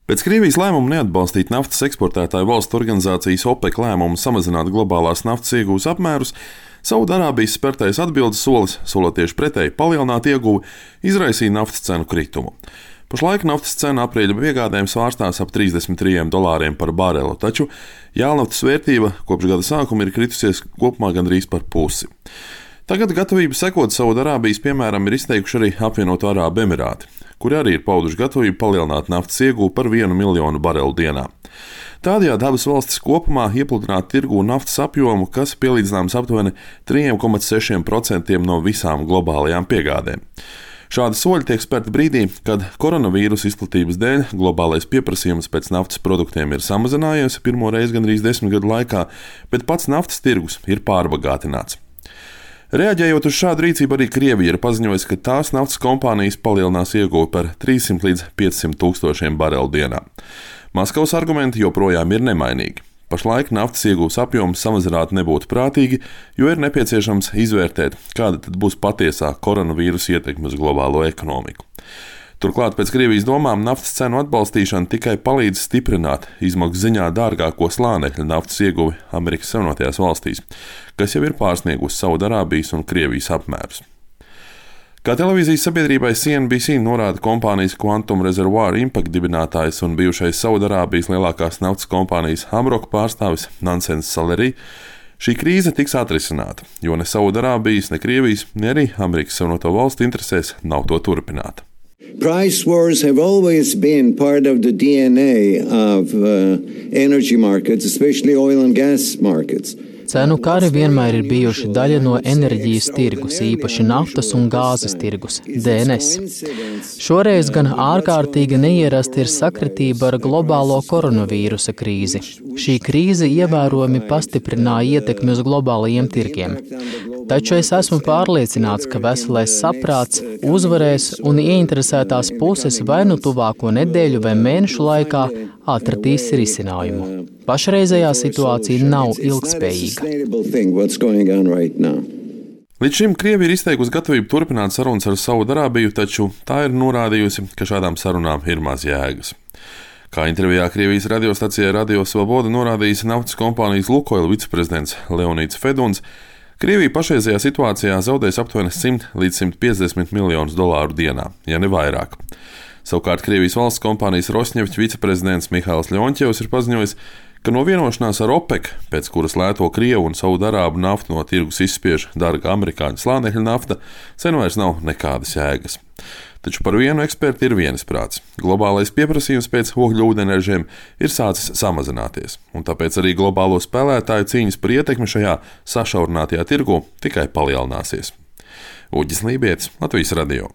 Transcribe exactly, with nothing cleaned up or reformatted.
Pēc Krievijas lēmuma neatbalstīt naftas eksportētāju valstu organizācijas OPEC lēmumu samazināt globālās naftas iegūs apmērus, Saudarābijas spērtais atbildes solis, solot tieši pretēji palielināt ieguvi, izraisīja naftas cenu kritumu. Pašlaik naftas cena aprīļa piegādēm svārstās ap trīsdesmit trim dolāriem par barelu, taču jēlnaftas vērtība kopš gada sākuma ir kritusies kopumā gandrīz par pusi. Tagad gatavību sekot Saudarābijas piemēram ir izteikuši arī apvienoto Arābu Emirāti, kuri arī ir pauduši gatavību palielināt naftas iegūvu par vienu miljonu barelu dienā. Tādējādi abas valstis kopumā iepludinātu tirgū naftas apjomu, kas pielīdzināms aptuveni trīs komats seši procenti no visām globālajām piegādēm. Šādi soļi tiek spērti brīdī, kad koronavīrusa izplatības dēļ globālais pieprasījums pēc naftas produktiem ir samazinājies pirmo reizi gandrīz desmit gadu laikā, bet pats naftas tirgus ir pārbagātināts. Reaģējot uz šādu rīcību, arī Krievija ir paziņojusi, ka tās naftas kompānijas palielinās ieguvi par trīssimt līdz piecsimt tūkstošiem barelu dienā. Maskavas argumenti joprojām ir nemainīgi. Pašlaik naftas iegūs apjoms samazināt nebūtu prātīgi, jo ir nepieciešams izvērtēt, kāda tad būs patiesā koronavīrusa ietekme uz globālo ekonomiku. Turklāt pēc Krievijas domām naftas cenu atbalstīšana tikai palīdz stiprināt izmaksu ziņā dārgāko slānekļa naftas ieguvi Amerikas Savienotajās valstīs, kas jau ir pārsniegusi Saudarābijas un Krievijas apmērus. Kā televīzijas sabiedrībai C N B C norāda kompānijas Quantum Reservoir Impact dibinātājs un bijušais Saudarābijas lielākās naftas kompānijas Hamrock pārstāvis Nansens Saleri, šī krīze tiks atrisināta, jo ne Saudarābijas, ne Krievijas, ne arī Amerikas Savienoto valstu interesēs nav to turpināt. Price wars have always been part of the D N A of uh, energy markets, especially oil and gas markets. Cenu kari vienmēr ir bijuši daļa no enerģijas tirgus, īpaši naftas un gāzes tirgus, D N S. Šoreiz gan ārkārtīgi neierasti ir sakritība ar globālo koronavīrusa krīzi. Šī krīze ievērojami pastiprināja ietekmi uz globālajiem tirgiem. Taču es esmu pārliecināts, ka veselais saprāts uzvarēs un ieinteresētās puses vai nu tuvāko nedēļu vai mēnešu laikā atradīs risinājumu. Pašreizējā situācija nav ilgtspējīga. Līdz šim Krievija ir izteikusi gatavību turpināt sarunas ar Saudarābiju, taču tā ir norādījusi, ka šādām sarunām ir maz jēgas. Kā intervijā Krievijas radiostacijai Radio Svoboda norādījis naftas kompānijas Lukoil viceprezidents Leonīds Feduns, Krievija pašreizajā situācijā zaudēs aptuveni simt līdz simt piecdesmit miljonus dolāru dienā, ja ne vairāk. Savukārt Krievijas valsts kompānijas Rosņefķa viceprezidents Mihails Ļoņķevs ir paziņojis, ka no vienošanās ar OPEC, pēc kuras lēto Krievu un Saudarābu naftu no tirgus izspiež dārga amerikāņu slānekļa nafta, sen vairs nav nekādas jēgas. Taču par vienu eksperti ir vienisprāts. Globālais pieprasījums pēc ogļūdeņražiem ir sācis samazināties, un tāpēc arī globālo spēlētāju cīņas par ietekmi šajā sašaurinātajā tirgu tikai palielināsies. Uģis Lībietis, Latvijas radio.